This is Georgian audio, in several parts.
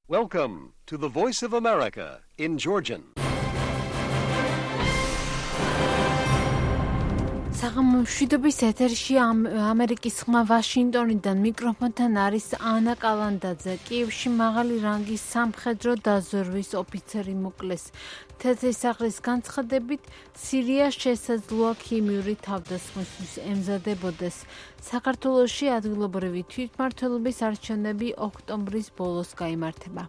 Welcome to the Voice of America in Georgian. Მშვიდობის ეთერში ამერიკის ხმა ვაშინგტონიდან მიკროფონთან არის ანა კალანდაძე. კიევში მაღალი რანგის სამხედრო დაზვერვის ოფიცერი მოკლეს. თეთრი სახლის განცხადებით, სირია შესაძლოა ქიმიური თავდასხმისთვის ემზადებოდეს. საქართველოში ადგილობრივი თვითმმართველობის არჩევნები ოქტომბრის ბოლოს გაიმართება.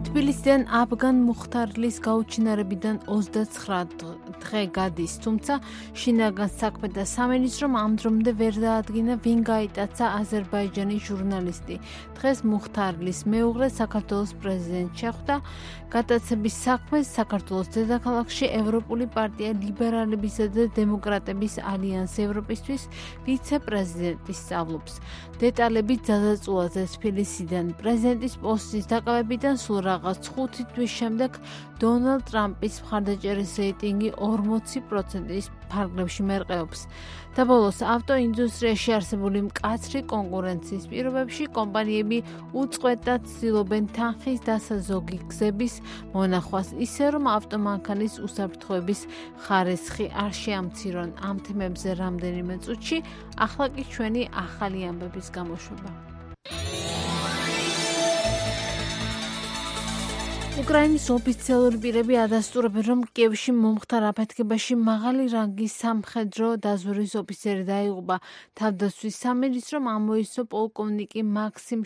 თბილისიდან აფგან მუხთარლის გაუჩინარებიდან 29 დღე გადის, თუმცა შინაგან საქმეთა სამინისტრომ ამ დრომდე ვერ დაადგინა, ვინ გაიტაცა აზერბაიჯანის ჟურნალისტი. დღეს მუხთარლის მეუღლე საქართველოს პრეზიდენტს შეხვდა. გატაცების საქმეს საქართველოს დედაქალაქში ევროპული პარტია ლიბერალებისა და დემოკრატების ალიანსი ევროპისთვის ვიცე-პრეზიდენტი სწავლობს. დეტალები ძალაწულაზე თბილისიდან. პრეზიდენტის პოსტის დაკავებიდან სულ რაღაც 5 თვის შემდეგ დონალდ ტრამპის მხარდაჭერის რეიტინგი 40%-ის ფარგლებში მერყეობს. და ბოლოს ავტოინდუსტრიაში არსებული მკაცრი კონკურენციის პირობებში კომპანიები უწყვეტად ცდილობენ თანხის დასაზოგი გზების მონახვას, ისე რომ ავტომანქანის უსაფრთხოების ხარისხი არ შეამცირონ. ამ თემებზე რამდენიმე წუთში, ახლა კი ჩვენი ახალი ამბების გამოშვება. უკრაინის ოფიციალური პირები ადასტურებენ, რომ კიევში მომხდარ აფეთქებაში მაღალი რანგის სამხედრო დაზვერვის ოფიცერი დაიღუპა. თავდაცვის სამინისტრომ ამოისო პოლკოვნიკი მაქსიმ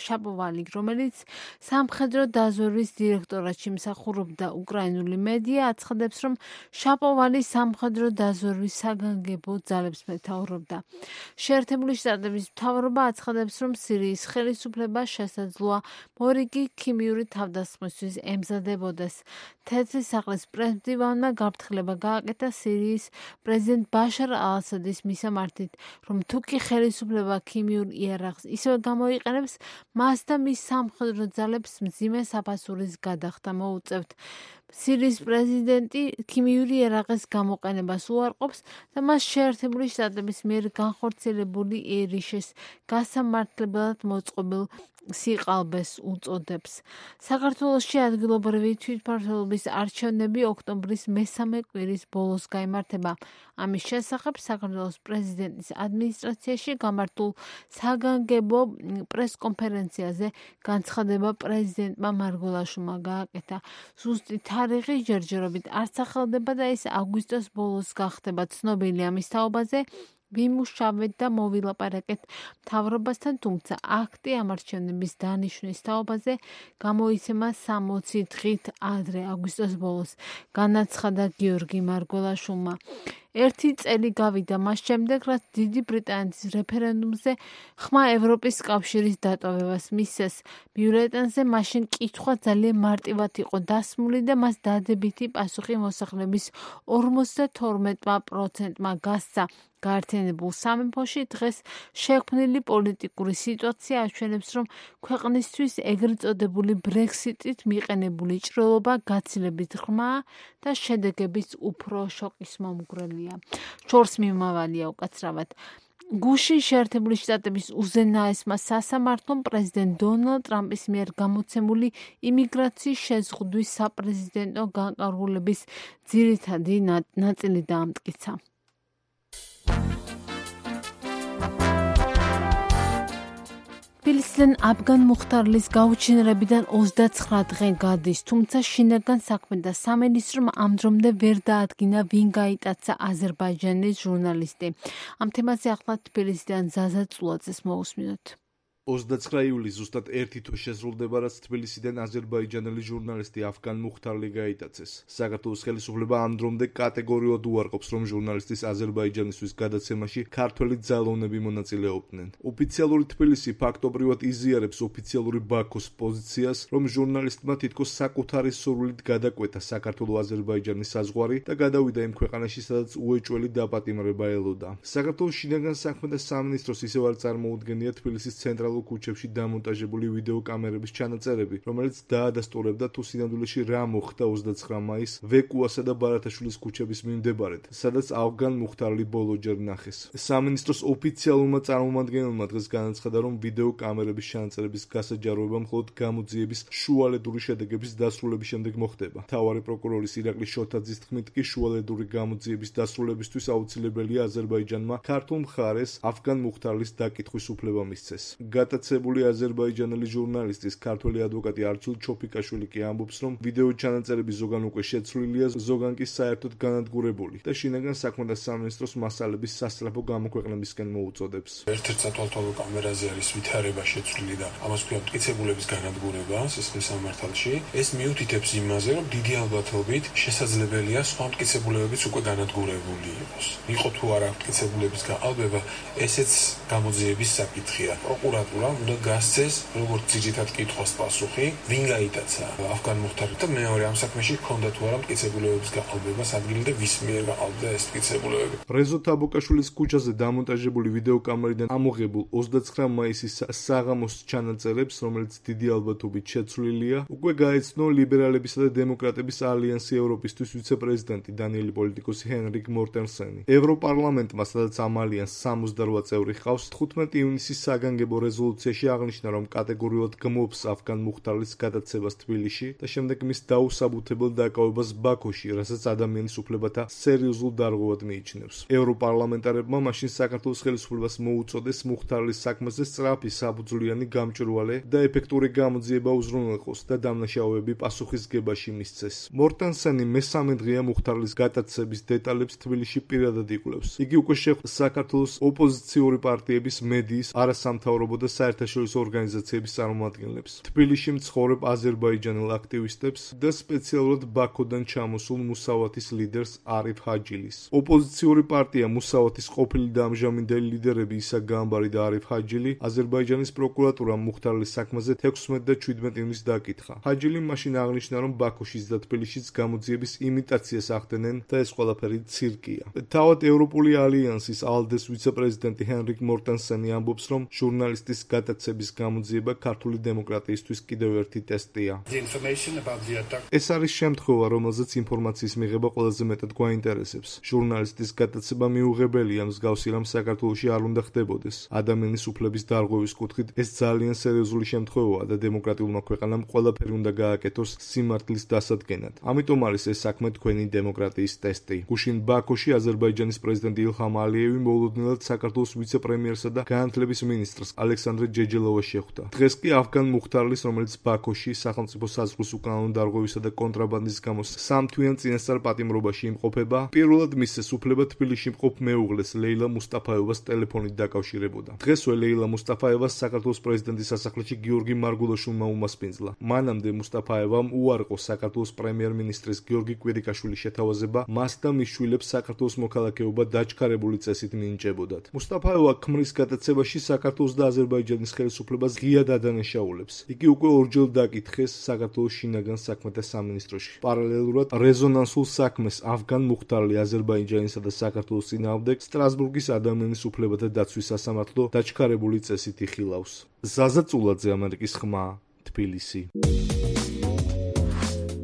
შაპოვალი, რომელიც სამხედრო დაზვერვის დირექტორატში მსახურობდა. უკრაინული მედია აცხადებს, რომ შაპოვალი სამხედრო დაზვერვის საგანგებო ძალებს მეთაურობდა. შეერთებული შტატების მთავრობა აცხადებს, რომ სირიის ხელისუფლება შესაძლოა მორიგი ქიმიური თავდასხმის ემზადებოდეს. თეთრი სახლის პრეზიდენტმა გაფრთხილება გააკეთა სირიის პრეზიდენტ ბაშარ ალ-ასადის მისამართით, რომ თუ კი ხელისუფლება ქიმიურ იარაღს ისევე გამოიყენებს, მას და მის სამხედრო ძალებს მძიმე საფასურის გადახდა მოუწევთ. სირიის პრეზიდენტი ქიმიური იარაღის გამოყენებას უარყოფს და მას შეერთებული შტატების მიერ განხორციელებული ერიშის გასამართლებლად მოწყობილ სიყალბეს უწოდებს. საქართველოში ადგილობრივი თვითმმართველობის არჩევნები ოქტომბრის მესამე კვირის ბოლოს გაიმართება. ამის შესახებ საქართველოს პრეზიდენტის ადმინისტრაციაში გამართულ საგანგებო პრესკონფერენციაზე განცხადება პრეზიდენტმა მარგველაშვილმა გააკეთა. ზუსტი თარიღი ჯერჯერობით არც ახალდება და ის აგვისტოს ბოლოს გახდება. ცნობილი ამის თაობაზე ვიმუშავეთ და მოვილაპარაკეთ მთავრობასთან, თუმცა აქტი ამ არჩევნების დანიშვნის თაობაზე გამოიცემა 60 დღით ადრე, აგვისტოს ბოლოს, განაცხადა გიორგი მარგველაშვილმა. 1 წელი გავიდა მას შემდეგ, რაც დიდი ბრიტანეთის რეფერენდუმზე ხმა ევროპის კავშირის დატოვებას მისცეს. ბიულეტენზე მაშინ კითხვა ძალიან მარტივად იყო დასმული და მას დადებითი პასუხი მოსახლეობის 52%-მა გასცა. გაერთიანებულ სამეფოში დღეს შექმნილი პოლიტიკური სიტუაცია აჩვენებს, რომ ქვეყნისთვის ეგრეთ წოდებული ბრექსიტით მიყენებული ჭრილობა გაცილებით ღრმაა და შედეგებიც უფრო შოკის მომგვრელია. შორს მიმავალია უკაცრავად. გუშინ შეერთებული შტატების უზენაესმა სასამართლომ პრეზიდენტ დონალდ ტრამპის მიერ გამოცემული იმიგრაციის შეზღუდვის საპრეზიდენტო განკარგულების ძირითადი ნაწილი დაამტკიცა. თბილისიდან აფგან მუხთარლის გაუჩინარებიდან 29 დღე გადის, თუმცა შინაგან საქმეთა სამინისტრომ ამ დრომდე ვერ დაადგინა, ვინ გაიტაცა აზერბაიჯანის ჟურნალისტი. ამ თემაზე ახლა თბილისიდან ზაზა წულაძეს მოусმინოთ. 29 ივლისს ზუსტად 1 თვე შესრულდება, რაც თბილისიდან აზერბაიჯანელი ჟურნალისტი აფგან მუხთარლი გაიტაცეს. საქართველოს ხელისუფლება ამ დრომდე კატეგორიულად უარყოფს, რომ ჟურნალისტის აზერბაიჯანისთვის გადაცემაში ქართველი ძალოვნები მონაწილეობდნენ. ოფიციალური თბილისი ფაქტობრივად იზიარებს ოფიციალური ბაქოს პოზიციას, რომ ჟურნალისტმა თითქოს საკუთარი სურვილით გადაკვეთა საქართველო-აზერბაიჯანის საზღვარი და გადავიდა იმ ქვეყანაში, სადაც უეჭველი დაპატიმრება ელოდა. საქართველოს შინაგან საქმეთა სამინისტროს ისევ არ წარმოუდგენია თბილისის ცენტრალურ ცენტრალურ ქუჩებში დამონტაჟებული ვიდეო კამერების ჩანაწერები, რომელიც დაადასტურებდა თუ სინამდვილეში რა მოხდა 29 მაისს ვეკუასა და ბარათაშვილის ქუჩების მიმდებარედ, სადაც ავგან მუხთარლი ბოლოჯერ ნახეს. სამინისტროს ოფიციალურმა წარმომადგენელმა დღეს განაცხადა, რომ ვიდეო კამერების ჩანაწერების გასაჯაროება მხოლოდ გამოძიების შუალედური შედეგების დასრულების შემდეგ მოხდება. მთავარი პროკურორის ირაკლი შოთაძის თქმით კი შუალედური გამოძიების დასრულებისთვის აუცილებელია აზერბაიჯანმა ქართულ მხარეს ავგან მუხთარლის დაკითხვის უფლება მისცეს. გატაცებული აზერბაიჯანელი ჟურნალისტის ქართველი ადვოკატი არჩილ ჩოფიკაშვილი კი ამბობს, რომ ვიდეო ჩანაწერები ზოგან უკვე შეცვლილია, ზოგან კი საერთოდ განადგურებული და შინაგან საქმეთა სამინისტროს მასალების სასწრაფო გამოქვეყნებისკენ მოუწოდებს. ერთ-ერთ სათვალთვალო კამერაზე არის ვითარება შეცვლილი და ამას ქვია მტკიცებულების განადგურება სისხლის სამართალში. ეს მიუთითებს იმაზე, რომ დიდი ალბათობით შესაძლებელია სხვა მტკიცებულებებიც უკვე განადგურებული იყოს. იყო თუ არა მტკიცებულების გაყალბება, ესეც გამოძიების საკითხია. პროკურატურა უნდა გასცეს როგორც ძირითად კითხვას პასუხი, ვინ გაიტაცა ავგან მუხთარლი და მეორე ამ საქმეში ჰქონდა თუ არა მტკიცებულებების გაყალბებას ადგილი და ვის მიერ გაყალბდა ეს მტკიცებულებები. რეზო თაბუკაშვილის ქუჩაზე დამონტაჟებული ვიდეო კამერიდან ამოღებულ 29 მაისის საღამოს ჩანაწერებს, რომელიც დიდი ალბათობით შეცვლილია, უკვე გაეცნო ლიბერალებისა და დემოკრატების ალიანსი ევროპისთვის ვიცე-პრეზიდენტი დანიელი პოლიტიკოსი ჰენრიკ მორტენსენი. ევროპარლამენტმა, სადაც ამ ალიანსს 68 წევრი ჰყავს, 15 ივნისის საგანგებო რეზოლუციაში აღნიშნა, რომ კატეგორიულად გმობს ავგან მუხთარლის გადაცებას თბილისში და შემდეგ მის დაუსაბუთებელ დაკავებას ბაქოში, რასაც ადამიანის უფლებათა სერიოზულ დარღვევად მიიჩნევს. ევროპარლამენტარებმა მაშინ საქართველოს ხელისუფლებას მოუწოდეს მუხთარლის საქმეზე სწრაფი საფუძვლიანი გამჭვირვალე და ეფექტური გამოძიება უზრუნველყოს და დამნაშავეები პასუხისგებაში მისცეს. მორტენსენი მესამე დღეა მუხთარლის გადაცების დეტალებს თბილისში პირადად იკვლევს. იგი უკვე შეხვდა საქართველოს ოპოზიციური პარტიების, მედიის, არასამთავრობო და საერთაშორისო ორგანიზაციების წარმომადგენლებს, თბილისში მცხოვრებ აზერბაიჯანელ აქტივისტებს და სპეციალურად ბაქოდან ჩამოსულ მუსავათის ლიდერს არიფ ჰაჯილის. ოპოზიციური პარტია მუსავათის ყოფილი და ამჟამინდელი ლიდერები ისა გამბარი და არიფ ჰაჯილი აზერბაიჯანის პროკურატურამ მუხთარლის საქმეზე 16 და 17 ივნისს დაკითხა. ჰაჯილი მაშინ აღნიშნა, რომ ბაქოშიც და თბილისშიც გამოძიების იმიტაციას ახდენენ და ეს ყველაფერი ცირკია. თავად ევროპული ალიანსის ალდეს ვიცე-პრეზიდენტი ჰენრიკ მორტენსენი ამბობს, რომ ჟურნალისტის გადაცების გამოძიება ქართული დემოკრატიისთვის კიდევ ერთი ტესტია. ეს არის შემთხვევა, რომელზეც ინფორმაციის მიღება ყველაზე მეტად გვაინტერესებს. ჟურნალისტის გადაცება მიუღებელია, მსგავსი რამ საქართველოში არ უნდა ხდებოდეს. ადამიანის უფლების დარღვევის კუთხით ეს ძალიან სერიოზული შემთხვევაა და დემოკრატიულმა ქვეყანამ ყველაფერი უნდა გააკეთოს სიმართლის დასადგენად. ამიტომ არის ეს საქმე თქვენი დემოკრატიის ტესტი. გუშინ ბაქოში აზერბაიჯანის პრეზიდენტი ილჰამ ალიევი მოულოდნელად საქართველოს ვიცე-პრემიერსა და განათლების მინისტრს ალექსანდრე ჯეჯელოვას შეხვდა. დღეს კი ავგან მუხთარლის, რომელიც ბაქოში სახელმწიფო საზღვრის უკანონო დარღვევისა და კონტრაბანდის გამო სამთვიან წინასწარ პატიმრობაში იმყოფება, პირველად მისცეს უფლება თბილისში მყოფ მეუღლეს ლეილა მუსტაფაევას ტელეფონით დაკავშირებოდა. დღესვე ლეილა მუსტაფაევას საქართველოს პრეზიდენტის სასახლეში გიორგი მარგულაშვილმა უმასპინძლა. მანამდე მუსტაფაევამ უარყო საქართველოს პრემიერ-მინისტრის გიორგი კვირიკაშვილის შეთავაზება, მას და მის შვილებს საქართველოს მოქალაქეობა დაჩქარებული წესით მინიჭებოდათ. მუსტაფაევა ქმრის გადაცებაში საქართველოს და აზერბაიჯანის ხელისუფლებას ღიად ადანაშაულებს. იგი უკვე ორჯერ დაკითხეს საქართველოს შინაგან საქმეთა სამინისტროში. პარალელურად რეზონანსულ საქმეს ავგან მუხთარლი აზერბაიჯანისა და საქართველოს წინააღმდეგ სტრასბურგის ადამიანის უფლებათა დაცვის სასამართლო დაჩქარებული წესით იხილავს. ზაზა წულაძე, ამერიკის ხმა, თბილისი.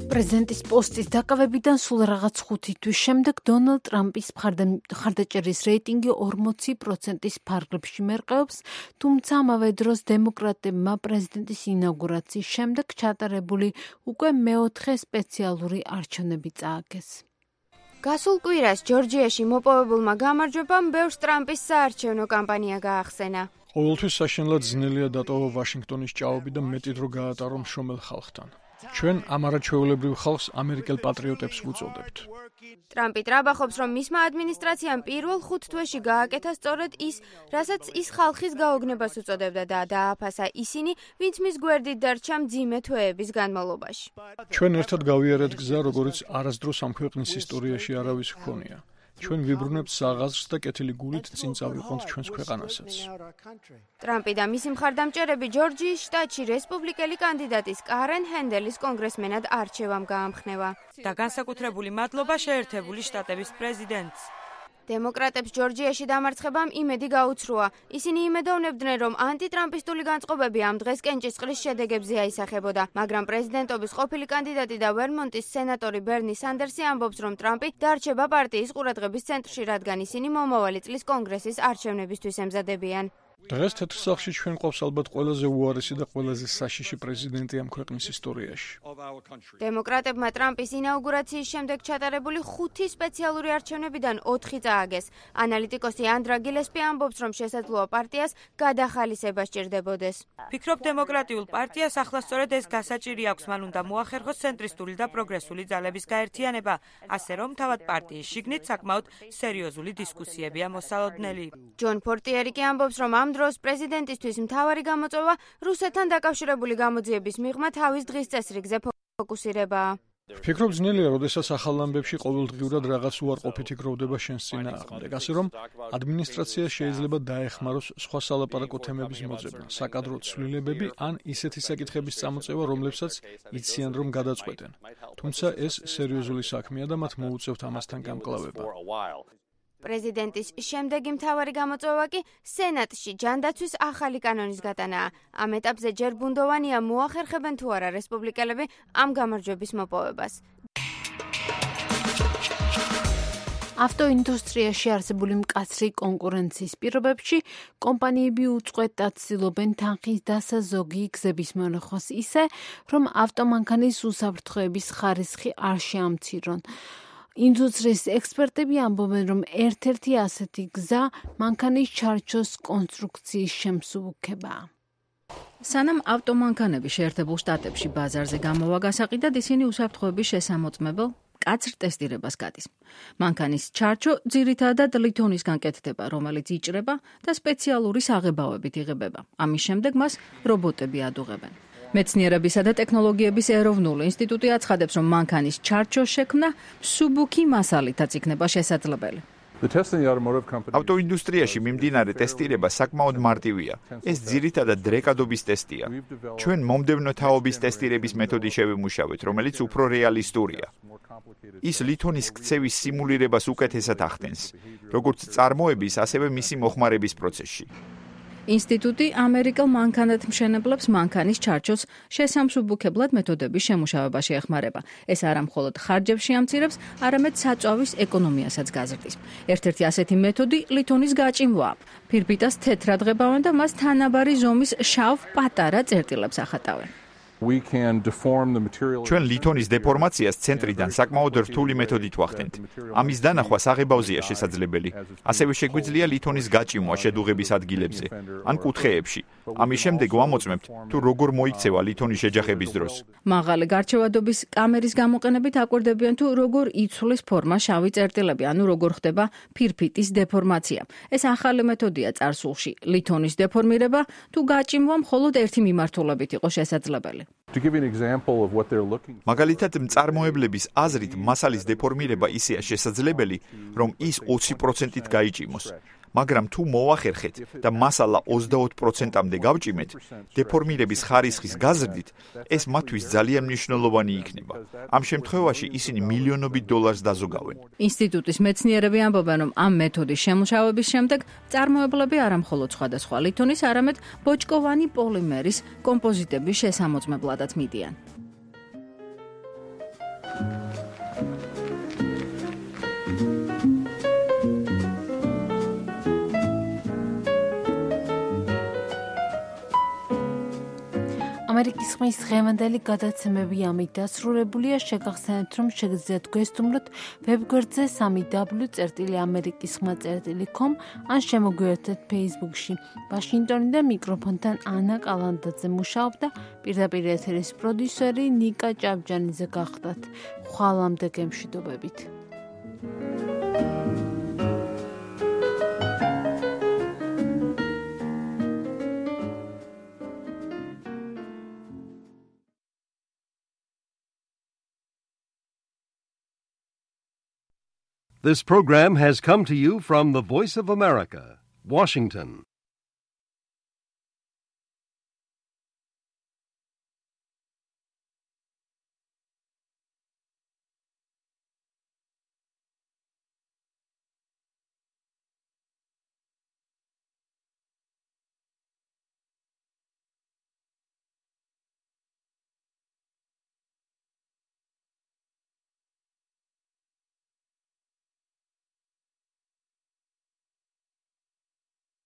პრეზიდენტის პოსტის დაკავებიდან სულ რაღაც 5 თვის შემდეგ დონალდ ტრამპის მხარდაჭერის რეიტინგი 40%-ის ფარგლებში მერყეობს, თუმცა ამავე დროს დემოკრატებმა პრეზიდენტის ინაუგურაციის შემდეგ ჩატარებული უკვე მეოთხე სპეციალური არჩევნები წააგეს. გასულ კვირას ჯორჯიაში მოპოვებულმა გამარჯვებამ ბევრს ტრამპის საარჩევნო კამპანია გაახსენა. ყოველთვის საშინლად ძნელია დატოვა ვაშინგტონის ჭაობი და მეტი დრო გაატარო მშრომელ ხალხთან. ჩვენ ამ არაჩვეულებრივ ხალხს ამერიკელ პატრიოტებს ვუწოდებთ. ტრამპი ტრაბახობს, რომ მისმა ადმინისტრაციამ პირველ 5 თვეში გააკეთა სწორედ ის, რასაც ის ხალხის გაოგნებას უწოდებდა და დააფასა ისინი, ვინც მის გვერდით დარჩა მძიმე თვეების განმავლობაში. ჩვენ ერთად გავიარეთ გზა, როგორც არასდროს ამ ქვეყნის ისტორიაში არავის ჰქონია. ჩვენ ვიბრუნებთ საღაზრს და კეთილი გულით წინ წავიყვანთ ჩვენს ქვეყანასაც. ტრამპი და მისი მხარდამჭერები ჯორჯიის შტატში რესპუბლიკელი კანდიდატის კარენ ჰენდელის კონგრესმენად არჩევამ გაამხნევა. და განსაკუთრებული მადლობა შეერთებული შტატების პრეზიდენტს. დემოკრატებს ჯორჯიაში დამარცხებამ იმედი გაუცრუა. ისინი იმედოვნებდნენ, რომ ანტიტრამპისტული განწყობები ამ დღეს კენჭისყრის შედეგებზე აისახებოდა, მაგრამ პრეზიდენტობის ყოფილი კანდიდატი და ვერმონტის სენატორი ბერნი სანდერსი ამბობს, რომ ტრამპი დარჩება პარტიის ყურადღების ცენტრში, რადგან ისინი მომავალი წლის კონგრესის არჩევნებისთვის ემზადებიან. დღეს თეთრ სახლში ჩვენ ყავს ალბათ ყველაზე უარესი და ყველაზე საშიში პრეზიდენტი ამ ქვეყნის ისტორიაში. დემოკრატებმა ტრამპის ინაუგურაციის შემდეგ ჩატარებული 5 სპეციალური არჩევნებიდან 4 წააგეს. ანალიტიკოსი ანდრა გილესპი ამბობს, რომ შესაძლოა პარტიას გადახალისება სჭირდებოდეს. ფიქრობ, დემოკრატიულ პარტიას ახლა სწორედ ეს გასაჭირი აქვს, მან უნდა მოახერხოს ცენტრისტული და პროგრესული ძალების გაერთიანება, ასე რომ თავად პარტიის შიგნით საკმაოდ სერიოზული დისკუსიებია მოსალოდნელი. ჯონ პორტიერი კი ამბობს, რომ ამ დროს პრეზიდენტისთვის მთავარი გამოწვევა რუსეთთან დაკავშირებული გამოძიების მიღმა თავის დღის წესრიგზე ფოკუსირებაა. ფიქრობ, ძნელია, როდესაც ახალ ამბებში ყოველდღიურად რაღაც უარყოფითი გროვდება შენს წინააღმდეგ, ასე რომ ადმინისტრაცია შეიძლება დაეხმაროს სხვა სალაპარაკო თემების მოძებნა, საკადრო ცვლილებები ან ისეთი საკითხების წამოწევა, რომლებსაც იციან, რომ გადაწყვეტენ. თუმცა ეს სერიოზული საქმეა და მათ მოუწევთ ამასთან გამკლავება. პრეზიდენტის შემდეგი მთავარი გამოწვევა კი სენატში ჯანდაცვის ახალი კანონის გატანაა. ამ ეტაპზე ჯერ ბუნდოვანია მოახერხებენ თუ არა რესპუბლიკელები ამ გამარჯვების მოპოვებას. ავტოინდუსტრიაში არსებული მკაცრი კონკურენციის პირობებში კომპანიები უწყვეტად ცდილობენ თანხის დასაზოგი გზების მონახვას ისე, რომ ავტომანქანის უსაფრთხოების ხარისხი არ შეამცირონ. ინდუსტრიის ექსპერტები ამბობენ, რომ ერთ-ერთი ასეთი გზა მანქანის ჩარჩოს კონსტრუქციის შემსუბუქებაა. სანამ ავტომანქანები შეერთებულ შტატებში ბაზარზე გამოვა გასაყიდად, ისინი უსაფრთხოების შესამოწმებელ მკაცრ ტესტირებას გადის. მანქანის ჩარჩო ძირითადად ლითონისგან კეთდება, რომელიც იჭრება და სპეციალური საღებავებით იღებება. ამის შემდეგ მას რობოტები ადუღებენ. მეცნიერებისა და ტექნოლოგიების ეროვნული ინსტიტუტი აცხადებს, რომ მანქანის ჩარჩოს შექმნა მსუბუქი მასალითაც იქნება შესაძლებელი. ავტოინდუსტრიაში მიმდინარე ტესტირება საკმაოდ მარტივია. ეს ძირითადად დრეკადობის ტესტია. ჩვენ მომდევნო თაობის ტესტირების მეთოდი შევიმუშავეთ, რომელიც უფრო რეალისტურია. ის ლითონის ქცევის სიმულირებას უკეთესად ახდენს, როგორც წარმოების, ასევე მისი მოხმარების პროცესში. ინსტიტუტი ამერიკელ მანქანათმშენებლებს მანქანის ჩარჩოს შესამსუბუქებლად მეთოდების შემუშავებაში ეხმარება. ეს არა მხოლოდ ხარჯებს შეამცირებს, არამედ საწვავის ეკონომიასაც გაზრდის. ერთ-ერთი ასეთი მეთოდი ლითონის გაჭიმვაა. ფირფიტას თეთრად ღებავენ და მას თანაბარი ზომის შავ პატარა წერტილებს ახატავენ. ჩვენ ლითონის დეფორმაციას ცენტრიდან საკმაოდ რთული მეთოდით ვახდენთ. ამის დანახვა საღებავზეა შესაძლებელი. ასევე შეგვიძლია ლითონის გაჭიმვა შედუღების ადგილებზე ან კუთხეებში. ამის შემდეგ ვამოწმებთ, თუ როგორ მოიქცევა ლითონის შეჯახების დროს. მაღალი გარჩევადობის კამერის გამოყენებით აკვირდებიან, თუ როგორ იცვლის ფორმა შავი წერტილები, ანუ როგორ ხდება ფირფიტის დეფორმაცია. ეს ახალი მეთოდია წარსულში. ლითონის დეფორმირება თუ გაჭიმვა მხოლოდ ერთი მიმართულებით იყო შესაძლებელი. მაგალითად, მწარმოებლების აზრით მასალის დეფორმირება ისეა შესაძლებელი, რომ ის 20%-ით გაიჭიმოს. მაგრამ თუ მოახერხეთ და მასალა 25%-მდე გავჭიმეთ, დეფორმირების ხარისხის გაზრდით, ეს მათთვის ძალიან მნიშვნელოვანი იქნება. ამ შემთხვევაში ისინი მილიონობით დოლარს დაზოგავენ. ინსტიტუტის მეცნიერები ამბობენ, რომ ამ მეთოდის შემუშავების შემდეგ მწარმოებლები არა მხოლოდ სხვადასხვა ლითონის, არამედ ბოჭკოვანი პოლიმერის კომპოზიტების შესამოწმებლადაც მიდიან. ამერიკის ხმის დღევანდელი გადაცემები ამით დასრულებულია. შეგახსენებთ, რომ შეგიძლიათ გვესტუმროთ ვებგვერდზე 3w.amerikisxma.com ან შემოგვიერთდეთ Facebook-ში. ვაშინგტონიდან მიკროფონთან ანა კალანდაძე მუშაობდა, პირდაპირ ეთერის პროდიუსერი ნიკა ჭავჭანიძე გახდათ. ხვალამდე გემშვიდობებით. This program has come to you from the Voice of America, Washington.